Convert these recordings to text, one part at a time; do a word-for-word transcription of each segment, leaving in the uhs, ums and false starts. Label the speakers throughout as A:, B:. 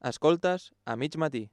A: Escoltes a mig matí.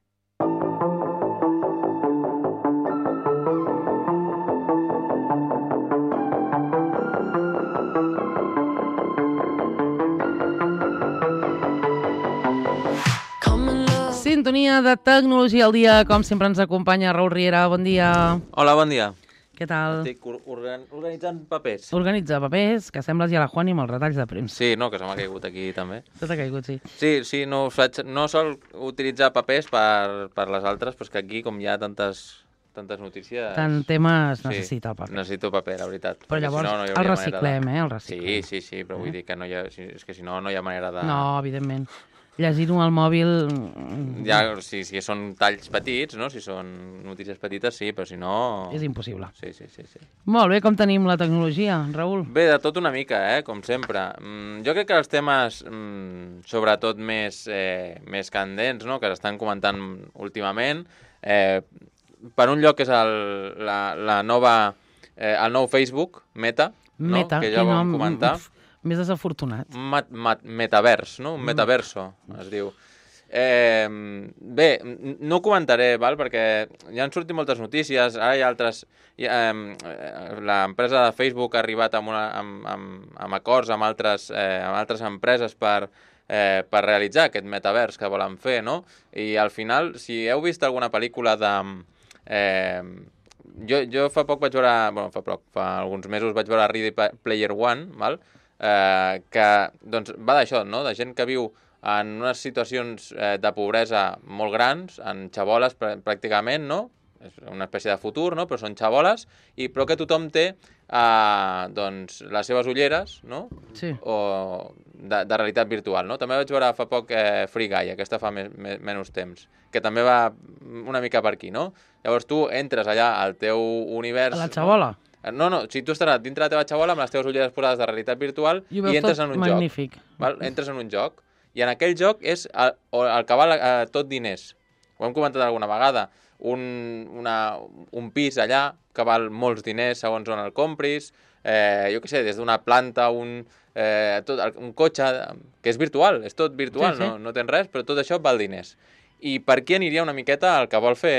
B: Sintonia de Tecnologia al dia, com sempre ens acompanya Raül Riera, bon dia.
A: Hola, bon dia.
B: Què tal?
A: Estic organ organitzant papers.
B: Organitza papers, que sembles ja la Juani amb els retalls de premsa.
A: Sí, no, que se m'ha caigut aquí també.
B: Tot ha caigut, sí.
A: Sí, sí, no, faig, no sol utilitzar papers per, per les altres, però és que aquí, com hi ha tantes, tantes notícies...
B: Tant temes
A: sí,
B: necessita el paper.
A: Necessito paper, la veritat.
B: Però llavors
A: si no, no
B: el reciclem,
A: de...
B: eh? El reciclem.
A: Sí, sí, sí, però vull dir que no hi ha... És que si no, no hi ha manera de...
B: No, evidentment. Llegir-ho al mòbil...
A: Ja, si, si són talls petits, no? Si són notícies petites, sí, però si no...
B: És impossible.
A: Sí, sí, sí, sí.
B: Molt bé, com tenim la tecnologia, Raül?
A: Bé, de tot una mica, eh? Com sempre. Mm, jo crec que els temes, mm, sobretot més, eh, més candents, no? Que s'estan comentant últimament, eh, per un lloc és el, la, la nova, eh, el nou Facebook, Meta, no?
B: Meta,
A: Que ja
B: que
A: vam
B: nom...
A: comentar.
B: Uf, més desafortunat.
A: Mat, mat, metavers, no? Un metaverso, es diu. Eh, bé, no ho comentaré, val? Perquè ja han sortit moltes notícies, ara hi ha altres... Hi ha, eh, l'empresa de Facebook ha arribat amb, una, amb, amb, amb acords amb altres, eh, amb altres empreses per, eh, per realitzar aquest metavers que volen fer, no? I al final, si heu vist alguna pel·lícula de... Eh, jo, jo fa poc vaig veure... Bueno, fa poc, fa alguns mesos vaig veure Ready Player One, val? Eh, que doncs, va d'això, no? De gent que viu en unes situacions eh, de pobresa molt grans, en xaboles pr pràcticament, no? És una espècie de futur, no? Però són xaboles, i, però que tothom té eh, doncs, les seves ulleres, no?
B: Sí.
A: O de, de realitat virtual, no? També vaig veure fa poc eh, Free Guy, aquesta fa me me menys temps, que també va una mica per aquí, no? Llavors tu entres allà al teu univers...
B: A la xabola?
A: No? No, no, si tu estaràs dintre de la teva xabola amb les teves ulleres posades de realitat virtual i,
B: i
A: entres en un
B: magnífic.
A: joc. Val? Entres en un joc i en aquell joc és el, el que val eh, tot diners. Ho hem comentat alguna vegada. Un, una, un pis allà que val molts diners segons on el compris, eh, jo què sé, des d'una planta, un, eh, tot, un cotxe, que és virtual, és tot virtual, sí, sí. No, no tens res, però tot això val diners. I per aquí aniria una miqueta el que vol fer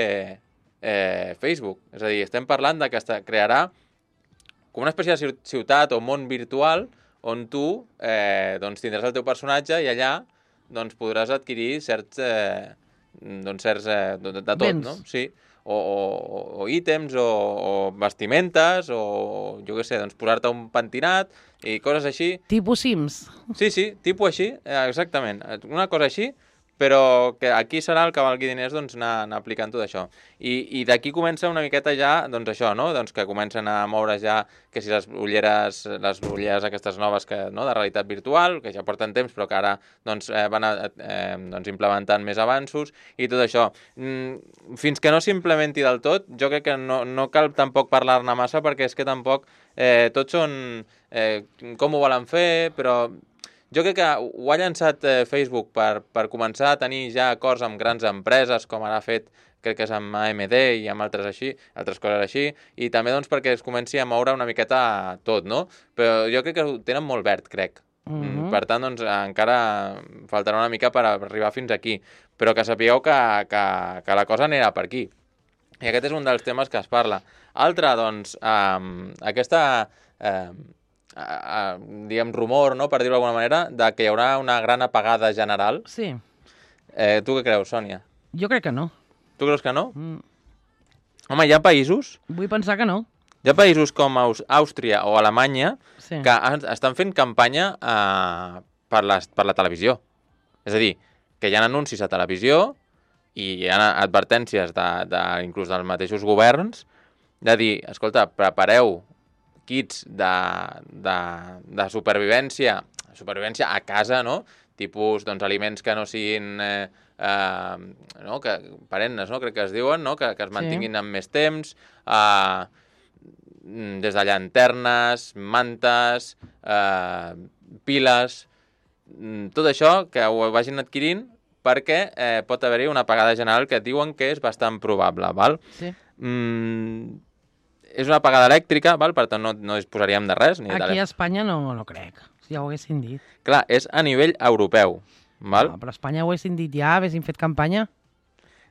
A: eh, Facebook. És a dir, estem parlant de que es crearà com una espècie de ciutat o món virtual on tu eh, doncs tindràs el teu personatge i allà doncs, podràs adquirir certs, eh, doncs, certs eh, de, de tot,
B: Béns.
A: No? Sí. O, o, o ítems, o, o vestimentes, o jo què sé, doncs posar-te un pentinat i coses així.
B: Tipus Sims.
A: Sí, sí, tipus així, exactament. Una cosa així, però que aquí serà el que valgui diners doncs, anar, anar aplicant tot això. I, i d'aquí comença una miqueta ja, doncs això, no? Doncs que comencen a moure ja, que si les ulleres, les ulleres aquestes noves que, no? De realitat virtual, que ja porten temps, però que ara doncs, eh, van a, eh, doncs, implementant més avanços i tot això. Mm, fins que no s'implementi del tot, jo crec que no, no cal tampoc parlar-ne massa, perquè és que tampoc eh, tots són eh, com ho volen fer, però... Jo crec que ho ha llançat eh, Facebook per, per començar a tenir ja acords amb grans empreses, com ara ha fet, crec que és amb A M D i amb altres així, altres coses així, i també doncs perquè es comenci a moure una miqueta tot, no? Però jo crec que ho tenen molt verd, crec. Mm -hmm. Per tant, doncs, encara faltarà una mica per arribar fins aquí. Però que sapigueu que, que, que la cosa anirà per aquí. I aquest és un dels temes que es parla. Altre, doncs, eh, aquesta... Eh, Uh, diguem, rumor, no?, per dir-ho d'alguna manera, de que hi haurà una gran apagada general.
B: Sí.
A: Eh, tu què creus, Sònia?
B: Jo crec que no.
A: Tu creus que no?
B: Mm.
A: Home, hi ha països...
B: Vull pensar que no.
A: Hi ha països com Aus Àustria o Alemanya
B: sí.
A: que estan fent campanya uh, per, les, per la televisió. És a dir, que hi ha anuncis a televisió i hi ha advertències de, de, inclús dels mateixos governs de dir, escolta, prepareu kits de, de, de supervivència, supervivència a casa, no? Tipus, doncs, aliments que no siguin eh, eh, no? Que, perennes, no? Crec que es diuen, no? Que, que es mantinguin sí. amb més temps, eh, des de llanternes, mantes, eh, piles, tot això que ho vagin adquirint perquè eh, pot haver-hi una apagada general que diuen que és bastant probable, val?
B: Sí.
A: Mm, és una apagada elèctrica, val? Per tant no, no disposaríem de res. Ni
B: Aquí
A: de...
B: a Espanya no, no crec, si ja ho haguessin dit.
A: Clar, és a nivell europeu. Val?
B: Ah, però a Espanya ho haguessin dit ja, haguessin fet campanya.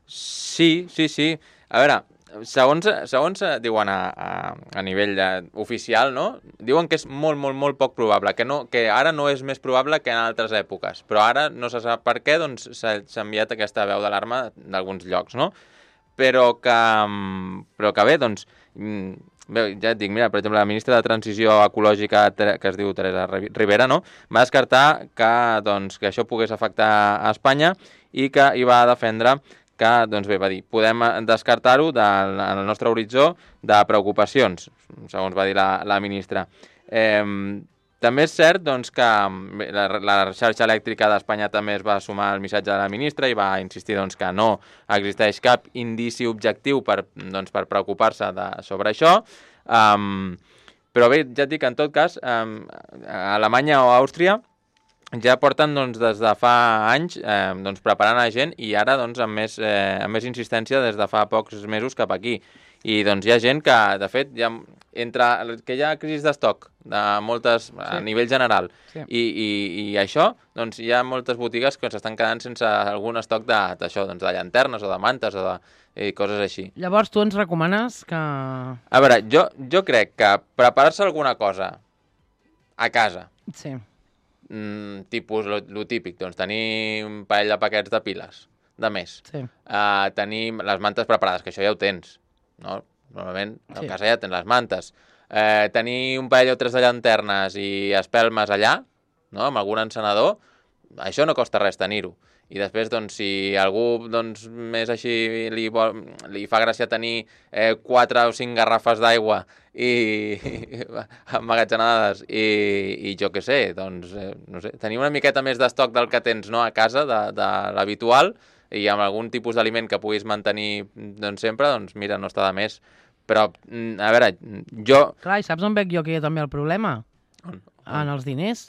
A: Sí, sí, sí. A veure, segons, segons diuen a, a, a nivell de, oficial, no? Diuen que és molt, molt, molt poc probable, que, no, que ara no és més probable que en altres èpoques, però ara no se sap per què, doncs s'ha enviat aquesta veu d'alarma d'alguns llocs, no? Però que, però que bé, doncs, bé, ja et dic, mira, per exemple, la ministra de Transició Ecològica, que es diu Teresa Rivera, no? Va descartar que, doncs, que això pogués afectar a Espanya i que hi va defendre que, doncs bé, va dir, podem descartar-ho del el nostre horitzó de preocupacions, segons va dir la, la ministra. Eh, també és cert, doncs, que bé, la, la xarxa elèctrica d'Espanya també es va sumar al missatge de la ministra i va insistir, doncs, que no existeix cap indici objectiu per, doncs, per preocupar-se de, sobre això. Um, però bé, ja et dic, en tot cas, um, a Alemanya o a Àustria ja porten doncs, des de fa anys eh, doncs, preparant a gent i ara doncs, amb, més, eh, amb més insistència des de fa pocs mesos cap aquí. I doncs, hi ha gent que, de fet, ja, entre, que hi ha crisi d'estoc de moltes, sí. a nivell general sí. i, i, i això, doncs, hi ha moltes botigues que s'estan quedant sense algun estoc d'això, doncs, de llanternes o de mantes o de i coses així.
B: Llavors, tu ens recomanes que...
A: A veure, jo, jo crec que preparar-se alguna cosa a casa...
B: Sí.
A: Mm, tipus, lo, lo típic, doncs tenir un parell de paquets de piles de més,
B: sí.
A: uh, tenir les mantes preparades, que això ja ho tens, no? Normalment a
B: sí.
A: casa ja tens les mantes, uh, tenir un parell o tres de llanternes i espelmes allà, no? Amb algun encenedor, això no costa res tenir-ho. I després, doncs, si algú doncs, més així li, vol, li fa gràcia tenir eh, quatre o cinc garrafes d'aigua i, i emmagatzenades i, i jo què sé, doncs, eh, no sé, tenir una miqueta més d'estoc del que tens no, a casa, de, de l'habitual, i amb algun tipus d'aliment que puguis mantenir doncs, sempre, doncs mira, no està de més. Però, a veure, jo...
B: Clar, i saps on veig jo que hi ha també el problema?
A: On?
B: En els diners.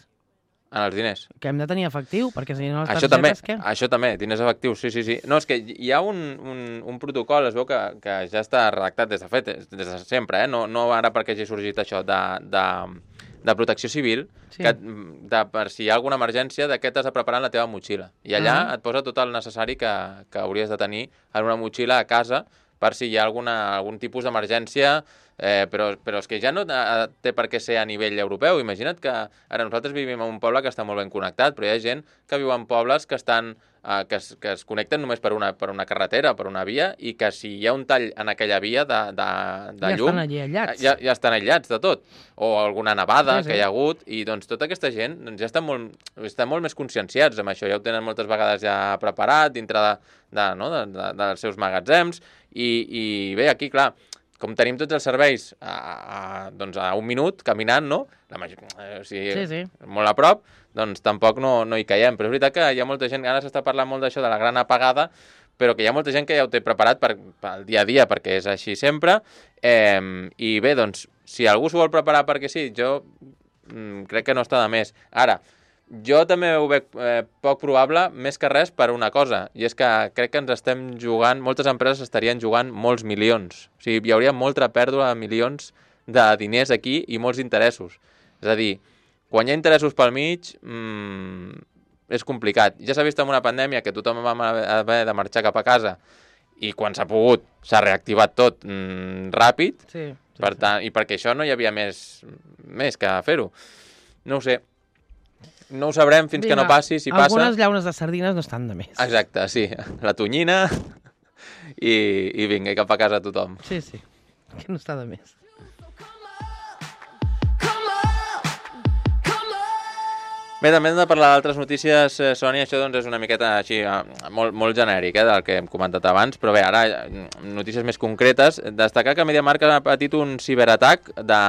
A: En els diners.
B: Que hem de tenir efectiu, perquè si no les
A: això
B: targetes,
A: també,
B: què?
A: Això també, diners efectius, sí, sí, sí. No, és que hi ha un, un, un protocol, es veu que, que ja està redactat des de fet, des de sempre, eh? no, no ara perquè hagi sorgit això, de, de, de protecció civil, sí. que, de, per si hi ha alguna emergència, de què t'has de preparar en la teva motxilla. I allà uh -huh. et posa tot el necessari que, que hauries de tenir en una motxilla a casa per si hi ha alguna, algun tipus d'emergència. Eh, però, però és que ja no té per què ser a nivell europeu. Imagina't que ara nosaltres vivim en un poble que està molt ben connectat, però hi ha gent que viu en pobles que estan eh, que, es, que es connecten només per una, per una carretera, per una via, i que si hi ha un tall en aquella via de, de, de
B: ja
A: llum...
B: Estan allí aïllats.
A: Ja, ja estan aïllats de tot. O alguna nevada sí, sí. que hi ha hagut, i doncs tota aquesta gent doncs, ja estan molt, estan molt més conscienciats amb això, ja ho tenen moltes vegades ja preparat dintre de, de, no, de, de, dels seus magatzems, i, i bé, aquí, clar, com tenim tots els serveis a, a, doncs a un minut, caminant, no? La major, eh, o sigui, sí, sí. molt a prop, doncs tampoc no, no hi caiem. Però és veritat que hi ha molta gent, ara s'està parlant molt d'això, de la gran apagada, però que hi ha molta gent que ja ho té preparat per, pel dia a dia, perquè és així sempre. Eh, I bé, doncs, si algú s'ho vol preparar perquè sí, jo mm, crec que no està de més. Ara, jo també ho veig eh, poc probable, més que res per una cosa, i és que crec que ens estem jugant, moltes empreses estarien jugant molts milions. O sigui, hi hauria molta pèrdua de milions de diners aquí i molts interessos. És a dir, quan hi ha interessos pel mig, mmm, és complicat. Ja s'ha vist en una pandèmia que tothom va haver de marxar cap a casa i quan s'ha pogut s'ha reactivat tot mmm, ràpid,
B: sí, sí,
A: per tant,
B: sí.
A: i perquè això no hi havia més, més que fer-ho. No ho sé. No ho sabrem fins
B: Vinga,
A: que no passi, si
B: algunes
A: passa...
B: Algunes llaunes de sardines no estan de més.
A: Exacte, sí. La tonyina i, i vinga, i cap a casa tothom.
B: Sí, sí, que no està de més.
A: Bé, també hem de parlar d'altres notícies, eh, Sònia, això doncs, és una miqueta així, molt, molt genèric, eh, del que hem comentat abans, però bé, ara notícies més concretes. Destacar que MediaMarkt ha patit un ciberatac de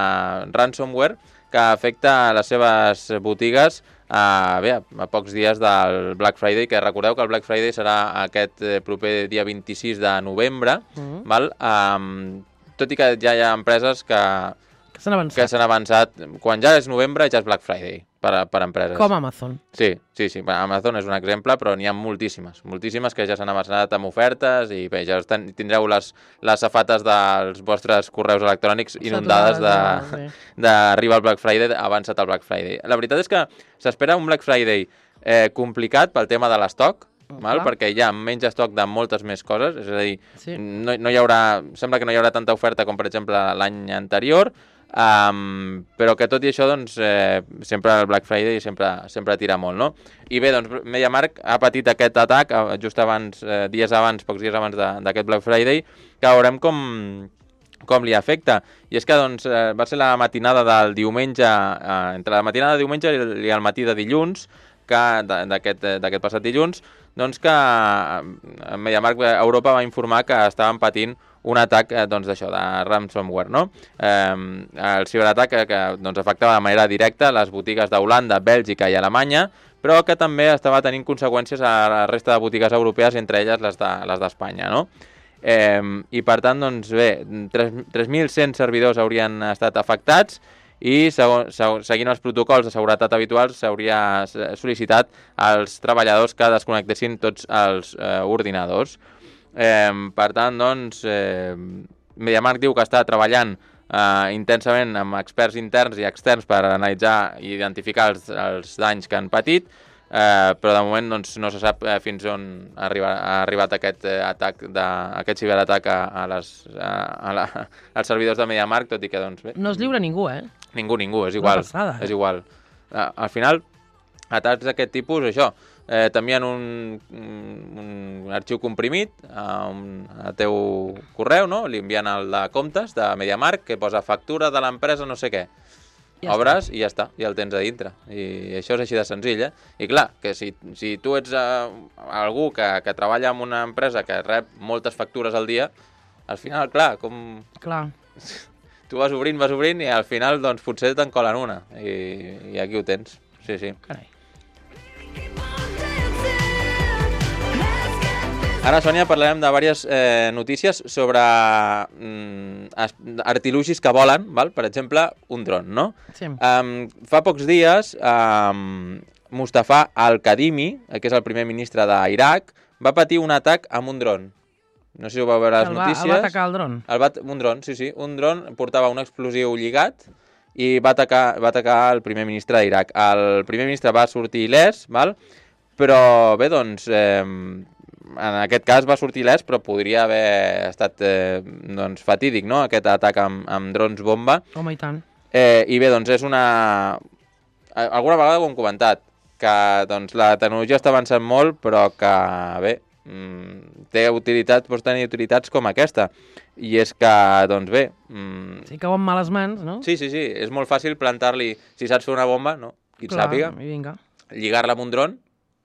A: ransomware que afecta les seves botigues a, bé, a pocs dies del Black Friday, que recordeu que el Black Friday serà aquest proper dia vint-i-sis de novembre, mm-hmm. val? Um, tot i que ja hi ha empreses que,
B: que s'han avançat.
A: que s'han avançat, quan ja és novembre ja és Black Friday per, a, per empreses.
B: Com Amazon.
A: Sí, sí, sí. Amazon és un exemple, però n'hi ha moltíssimes, moltíssimes que ja s'han avançat amb ofertes i bé, ja ten, tindreu les, les safates dels vostres correus electrònics inundades d'arribar al Black Friday, avançat al Black Friday. La veritat és que s'espera un Black Friday eh, complicat pel tema de l'estoc,
B: Oh,
A: val?
B: clar.
A: Perquè hi ha menys estoc de moltes més coses, és a dir,
B: Sí.
A: no, no hi haurà, sembla que no hi haurà tanta oferta com, per exemple, l'any anterior, um, però que tot i això, doncs, eh, sempre el Black Friday sempre, sempre tira molt, no? I bé, doncs, MediaMarkt ha patit aquest atac eh, just abans, eh, dies abans, pocs dies abans de- d'aquest Black Friday, que veurem com, com li afecta. I és que doncs, eh, va ser la matinada del diumenge, eh, entre la matinada de diumenge i el matí de dilluns, que d'aquest d'aquest passat dilluns, doncs que eh, MediaMarkt Europa va informar que estaven patint un atac eh, doncs d'això, de ransomware, no? Eh, el ciberatac que, que doncs, afectava de manera directa les botigues d'Holanda, Bèlgica i Alemanya, però que també estava tenint conseqüències a la resta de botigues europees, entre elles les de, les d'Espanya, no? Eh, I per tant, doncs bé, tres mil cent servidors haurien estat afectats i segon, seguint els protocols de seguretat habituals s'hauria sol·licitat als treballadors que desconnectessin tots els eh, ordinadors. Eh, per tant, doncs, eh, MediaMarkt diu que està treballant eh, intensament amb experts interns i externs per analitzar i identificar els, els danys que han patit, eh, però de moment doncs, no se sap eh, fins on ha arribat, ha arribat aquest eh, atac de, aquest ciberatac a, a les, a, a la, als servidors de MediaMarkt, tot i que doncs, bé,
B: No es lliura ningú, eh?
A: ningú, ningú, és igual.
B: passada, eh?
A: És igual. Uh, al final, atacs d'aquest tipus, això, eh, t'envien un, un arxiu comprimit a, un, a teu correu, no? Li envien el de comptes de MediaMarkt, que posa factura de l'empresa no sé què.
B: Ja
A: Obres i ja està, ja el tens a dintre. I això és així de senzill, eh? I clar, que si, si tu ets uh, algú que, que treballa en una empresa que rep moltes factures al dia, al final, clar, com...
B: Clar.
A: Tu vas obrint, vas obrint i al final doncs potser te'n colen una i, i aquí ho tens, sí, sí.
B: Carai.
A: Ara, Sònia, parlarem de diverses eh, notícies sobre mm, artilugis que volen, val? Per exemple, un dron, no?
B: Sí.
A: Um, fa pocs dies, um, Mustafa al-Kadhimi, que és el primer ministre d'Iraq, va patir un atac amb un dron. No sé si ho vau veure a les
B: el va,
A: notícies.
B: El va atacar el dron.
A: El va, un dron, sí, sí. Un dron portava un explosiu lligat i va atacar, va atacar el primer ministre d'Iraq. El primer ministre va sortir il·lès, val? Però bé, doncs, eh, en aquest cas va sortir il·lès, però podria haver estat eh, doncs, fatídic, no?, aquest atac amb, amb drons bomba.
B: Home, i tant.
A: Eh, I bé, doncs és una... Alguna vegada ho hem comentat, que doncs, la tecnologia està avançant molt, però que, bé, mm, té utilitat, pots tenir utilitats com aquesta. I és que, doncs bé... Mm,
B: Si cau en males mans, no?
A: sí, sí, sí, és molt fàcil plantar-li, si saps fer una bomba, no? Qui et
B: Clar,
A: sàpiga,
B: i vinga.
A: lligar-la amb un dron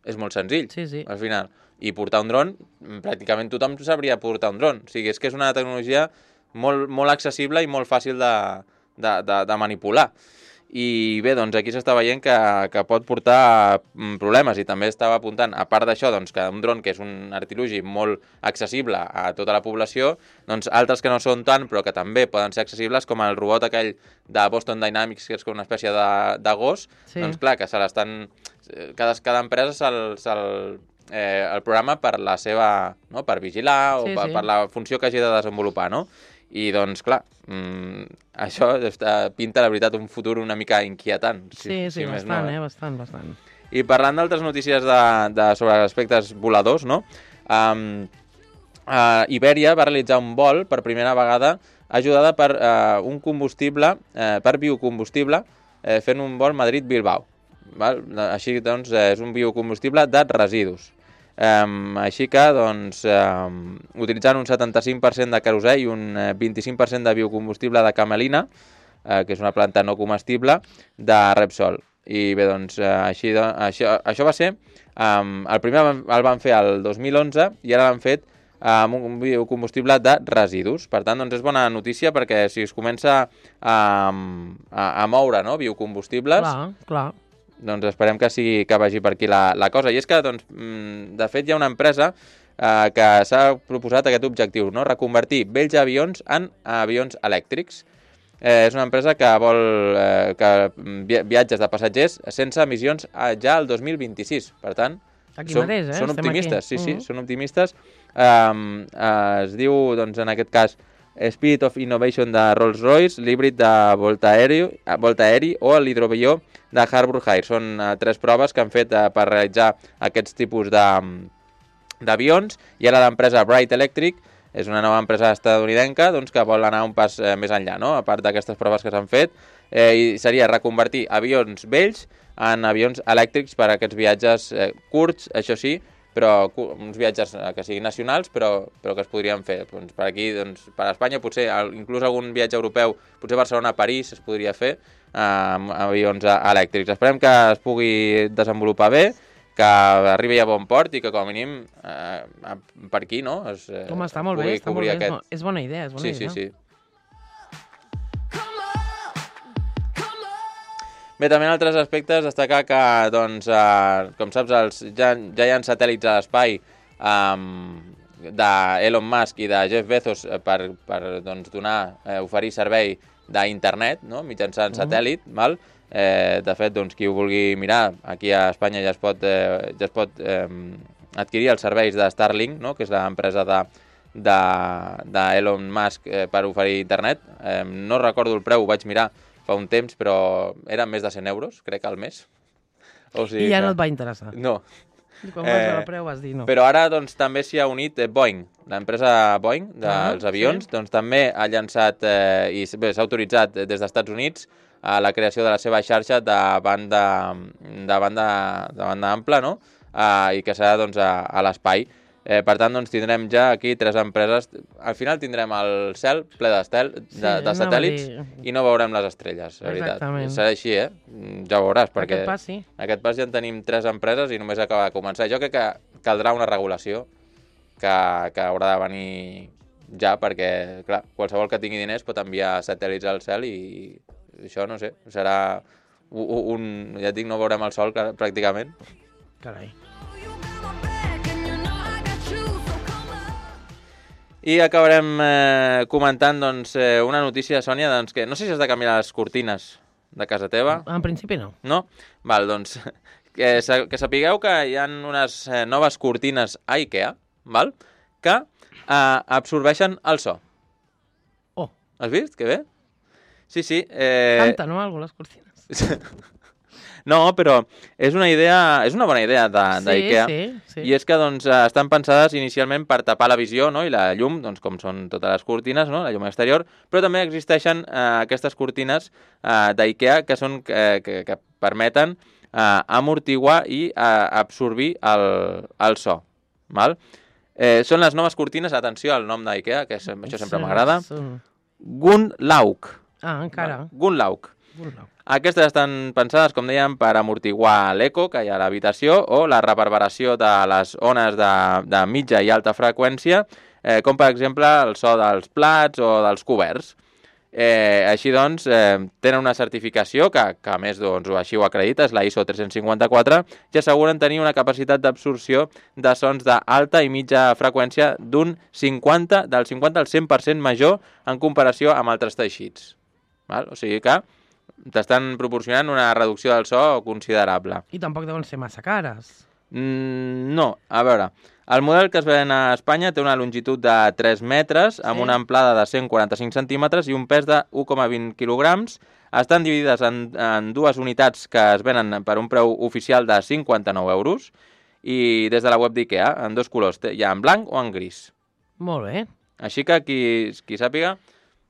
A: és molt senzill,
B: Sí, sí.
A: al final. I portar un dron, pràcticament tothom sabria portar un dron. O sigui, és que és una tecnologia molt, molt accessible i molt fàcil de, de, de, de manipular. I bé, doncs aquí s'està veient que, que pot portar mm, problemes i també estava apuntant, a part d'això, doncs, que un dron que és un artilugi molt accessible a tota la població, doncs altres que no són tant però que també poden ser accessibles, com el robot aquell de Boston Dynamics, que és com una espècie de, de gos,
B: Sí.
A: doncs clar, que se l'estan... Cada, cada empresa se'l... Se eh, el programa per la seva... No? Per vigilar o
B: Sí,
A: per,
B: sí.
A: per la funció que hagi de desenvolupar, no? I doncs, clar, mmm, això està, pinta, la veritat, un futur una mica inquietant. Si,
B: Sí, sí,
A: si més
B: bastant,
A: no,
B: eh? Bastant, bastant.
A: I parlant d'altres notícies de, de, sobre aspectes voladors, no? Um, uh, Ibèria va realitzar un vol per primera vegada ajudada per uh, un combustible, uh, per biocombustible, uh, fent un vol Madrid-Bilbao. Val? Així, doncs, eh, és un biocombustible de residus. Um, així que, doncs, um, utilitzant un setanta-cinc per cent de querosè i un eh, vint-i-cinc per cent de biocombustible de camelina, eh, que és una planta no comestible, de Repsol. I bé, doncs, eh, així, do, això, això va ser... Um, el primer el van fer el dos mil onze i ara l'han fet amb un biocombustible de residus. Per tant, doncs és bona notícia perquè si es comença a, a, a moure, no?, biocombustibles...
B: Clar, clar.
A: Doncs esperem que sigui que vagi per aquí la, la cosa. I és que, doncs, de fet, hi ha una empresa eh, que s'ha proposat aquest objectiu, no?, reconvertir vells avions en avions elèctrics. Eh, és una empresa que vol eh, que viatges de passatgers sense emissions ja al dos mil vint-i-sis. Per tant,
B: Aquí
A: són,
B: mateix, eh?
A: són
B: Estem
A: optimistes,
B: aquí.
A: sí, sí,
B: Mhm.
A: són optimistes. Eh, eh, es diu, doncs, en aquest cas, Spirit of Innovation de Rolls-Royce, l'híbrid de Volta Aeri, Volta Aeri o l'hidroavió de Harbour Air. Són uh, tres proves que han fet uh, per realitzar aquests tipus de, d'avions, i ara l'empresa Bright Electric és una nova empresa estatunidenca doncs, que vol anar un pas eh, més enllà, no? A part d'aquestes proves que s'han fet, eh, i seria reconvertir avions vells en avions elèctrics per a aquests viatges eh, curts, això sí, però uns viatges que siguin nacionals, però, però que es podrien fer. Doncs per aquí, doncs, per a Espanya, potser inclús algun viatge europeu, potser Barcelona-París es podria fer eh, amb avions elèctrics. Esperem que es pugui desenvolupar bé, que arribi a bon port i que com a mínim eh, per aquí, no? Es, eh,
B: Home, està molt bé, està molt bé. Aquest... És bona idea, és bona
A: sí,
B: idea.
A: Sí, sí, sí. Bé, també en altres aspectes destacar que, doncs, eh, com saps, els, ja, ja hi ha satèl·lits a l'espai um, d'Elon Musk i de Jeff Bezos per, per doncs, donar, eh, oferir servei d'internet, no? Mitjançant satèl·lit, uh-huh. val? Eh, de fet, doncs, qui ho vulgui mirar, aquí a Espanya ja es pot, eh, ja es pot eh, adquirir els serveis de Starlink, no? Que és l'empresa de, de, de Elon Musk eh, per oferir internet. Eh, no recordo el preu, ho vaig mirar fa un temps, però eren més de cent euros, crec, al mes. O sigui
B: I ja
A: que...
B: no et va interessar.
A: No.
B: I quan vas veure el preu vas dir no.
A: Però ara doncs, també s'hi ha unit eh, Boeing, l'empresa Boeing dels ah, avions, sí. doncs també ha llançat eh, i bé, s'ha autoritzat des dels Estats Units a la creació de la seva xarxa de banda, de banda, de banda ampla, no? Uh, i que serà doncs, a, a l'espai. Eh, per tant, doncs, tindrem ja aquí tres empreses. Al final tindrem el cel ple d'estel, de,
B: sí,
A: de satèl·lits, dir... i no veurem les estrelles, la veritat. Serà així, eh? Ja ho veuràs, perquè
B: aquest pas, sí.
A: aquest pas ja en tenim tres empreses i només acaba de començar. Jo crec que caldrà una regulació que, que haurà de venir ja, perquè, clar, qualsevol que tingui diners pot enviar satèl·lits al cel i això, no sé, serà un... un ja et dic, no veurem el sol pràcticament.
B: Carai.
A: I acabarem eh, comentant doncs, eh, una notícia, Sònia, doncs, que no sé si has de canviar les cortines de casa teva.
B: En principi no.
A: No? Val, doncs, que, que sapigueu que hi ha unes eh, noves cortines a IKEA, val? Que eh, absorbeixen el so.
B: Oh.
A: Has vist? Que bé? Sí, sí. Eh...
B: Canta, no, algo, les cortines.
A: No, però és una idea, és una bona idea d'IKEA.
B: Sí, sí, sí.
A: I és que doncs, estan pensades inicialment per tapar la visió, no? I la llum, doncs, com són totes les cortines, no? La llum exterior, però també existeixen eh, aquestes cortines eh, d'IKEA que, són, eh, que, que permeten eh, amortiguar i eh, absorbir el, el so. Val? Eh, són les noves cortines, atenció al nom d'IKEA, que és, això sempre m'agrada. Gunlaug.
B: Ah, encara.
A: Gunlaug.
B: Gunlaug.
A: Aquestes estan pensades, com dèiem, per amortiguar l'eco que hi ha a l'habitació o la reverberació de les ones de, de mitja i alta freqüència, eh, com per exemple el so dels plats o dels coberts. Eh, així doncs, eh, tenen una certificació que, que a més doncs, així ho acredita, és la I S O tres-cents cinquanta-quatre, i asseguren tenir una capacitat d'absorció de sons d'alta i mitja freqüència d'un cinquanta, del cinquanta al cent per cent major en comparació amb altres teixits. Val? O sigui que t'estan proporcionant una reducció del so considerable.
B: I tampoc deuen ser massa cares.
A: Mm, no, a veure, el model que es ven a Espanya té una longitud de tres metres, amb sí. una amplada de cent quaranta-cinc centímetres i un pes de u coma vint quilograms. Estan dividides en, en dues unitats que es venen per un preu oficial de cinquanta-nou euros i des de la web d'IKEA, en dos colors, hi ha en blanc o en gris.
B: Molt bé.
A: Així que qui, qui sàpiga...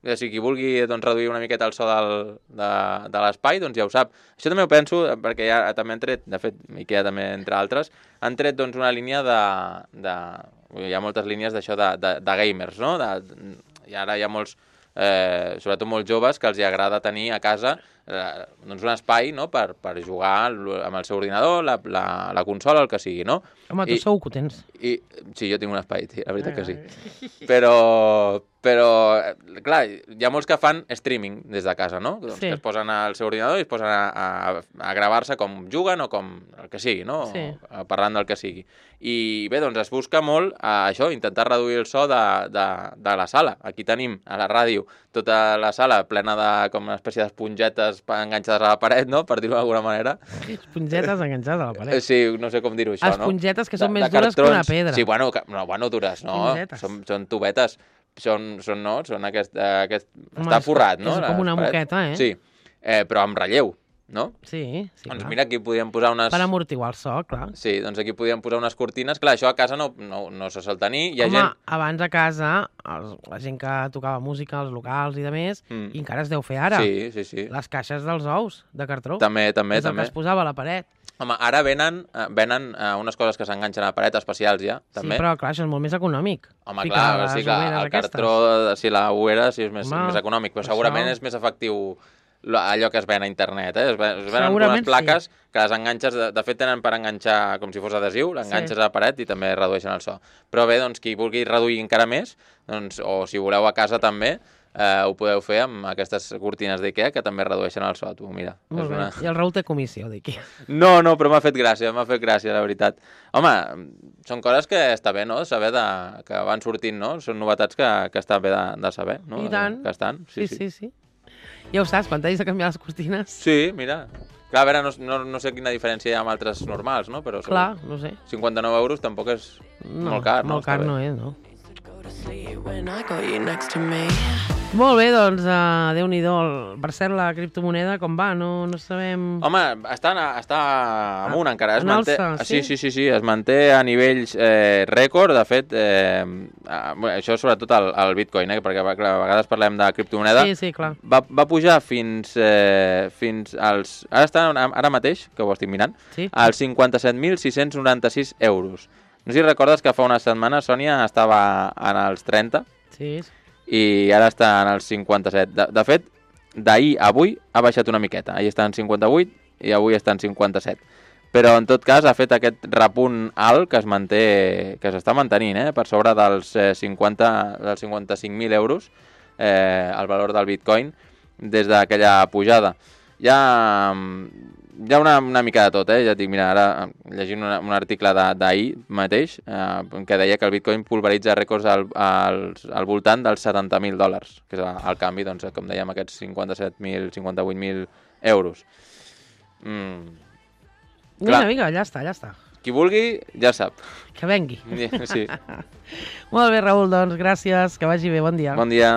A: O sigui, qui vulgui doncs, reduir una miqueta el so del, de, de l'espai, doncs ja ho sap. Això també ho penso, perquè ja també han tret, de fet, IKEA també, entre altres, han tret doncs, una línia de, de... Hi ha moltes línies d'això de, de, de gamers, no? De, I ara hi ha molts, eh, sobretot molts joves, que els hi agrada tenir a casa eh, doncs un espai, no? per, per jugar amb el seu ordinador, la, la, la consola, el que sigui, no?
B: Home, tu I, segur que ho tens.
A: I, sí, jo tinc un espai, la veritat que sí. Però... Però, clar, hi ha molts que fan streaming des de casa, no? Doncs sí. Que es posen al seu ordinador i es posen a, a, a gravar-se com juguen o com el que sigui, no?
B: Sí.
A: O parlant del que sigui. I bé, doncs es busca molt a això, intentar reduir el so de, de, de la sala. Aquí tenim a la ràdio tota la sala plena de com una espècie d'espongetes enganxades a la paret, no? Per dir-ho d'alguna manera.
B: Espongetes enganxades a la paret.
A: Sí, no sé com dir-ho això, no?
B: Espongetes que són de, més dures que una pedra.
A: Sí, bueno, que, no, bueno, dures, no? Són, són tubetes. són, són, no? Són aquest, aquest...
B: Home,
A: està
B: és-
A: forrat, no?
B: és com una
A: Les parets.
B: moqueta, eh?
A: Sí, eh, però amb relleu, no?
B: Sí, sí,
A: Doncs
B: clar.
A: mira, aquí podríem posar unes...
B: Per amortiguar el so, clar.
A: Sí, doncs aquí podríem posar unes cortines. Clar, això a casa no, no, no se sol tenir. Hi ha
B: Home,
A: gent...
B: abans a casa, els, la gent que tocava música, els locals i de més,
A: Mm.
B: i encara es deu fer ara,
A: Sí, sí, sí.
B: les caixes dels ous de cartró.
A: També, també,
B: és el
A: també.
B: que es posava a la paret.
A: Home, ara venen, eh, venen eh, unes coses que s'enganxen a la paret, especials ja, també.
B: Sí, però clar, això és molt més econòmic.
A: Home,
B: Ficar
A: clar,
B: les
A: sí que
B: ulleres
A: el
B: aquestes.
A: cartró, si la uera, sí és més,
B: Home,
A: més econòmic, però
B: per
A: segurament
B: això.
A: és més efectiu lo- allò que es ven a internet, eh? Es ven, es venen
B: Segurament
A: unes plaques que les enganxes, de, de fet tenen per enganxar com si fos adhesiu, l'enganxes
B: Sí.
A: a la paret i també redueixen el so. Però bé, doncs qui vulgui reduir encara més, doncs, o si voleu a casa també, eh, ho podeu fer amb aquestes cortines d'Ikea que també redueixen el so. Tu, mira,
B: Molt
A: és
B: bé.
A: una...
B: I el Raül té comissió d'aquí.
A: No, no, però m'ha fet gràcia, m'ha fet gràcia, la veritat. Home, són coses que està bé, no?, saber de... que van sortint, no? Són novetats que, que està bé de, de saber, no?
B: I tant.
A: Que estan,
B: Sí, sí, sí. Ja ho saps, quan t'hagis de canviar les cortines...
A: Sí, mira. Clar, a veure, no, no, no sé quina diferència hi ha amb altres normals, no? Però
B: Clar, no sé.
A: cinquanta-nou euros tampoc és
B: No,
A: molt car, no?
B: Molt car
A: Està bé.
B: no és, no?
C: Go to sleep when I got you next to me.
B: Molt bé, doncs, uh, Déu-n'hi-do. Per cert, la criptomoneda, com va? No, no sabem...
A: Home, està, està amunt encara. Es
B: en
A: manté,
B: alça,
A: sí?
B: sí?
A: sí, sí, sí, es manté a nivells eh, rècord. De fet, eh, eh, bueno, això sobretot el, el Bitcoin, eh, perquè clar, a vegades parlem de criptomoneda.
B: Sí, sí, clar.
A: Va, va pujar fins, eh, fins als... Ara està ara mateix, que ho estic mirant,
B: Sí.
A: als cinquanta-set mil sis-cents noranta-sis euros. No sé si recordes que fa una setmana Sònia estava en els trenta
B: Sí,
A: i ara està en els cinquanta-set. De, de fet, d'ahir a avui ha baixat una miqueta. Ahir està en cinquanta-vuit i avui està en cinquanta-set. Però, en tot cas, ha fet aquest repunt alt que es manté, que s'està mantenint, eh? Per sobre dels, eh, cinquanta, dels cinquanta-cinc mil euros, eh, el valor del Bitcoin, des d'aquella pujada. Hi ha, hi ha una, una mica de tot, eh? Ja et dic, mira, ara llegint una, un article de- d'ahir mateix, eh, que deia que el Bitcoin pulveritza rècords al, al, al voltant dels setanta mil dòlars, que és el, el canvi, doncs, com dèiem, aquests cinquanta-set mil, cinquanta-vuit mil euros. Mm.
B: Vinga,
A: Clar.
B: vinga, ja està, ja està.
A: Qui vulgui, ja sap.
B: Que vengui.
A: Sí.
B: Molt bé, Raül, doncs gràcies, que vagi bé, bon dia.
A: Bon dia.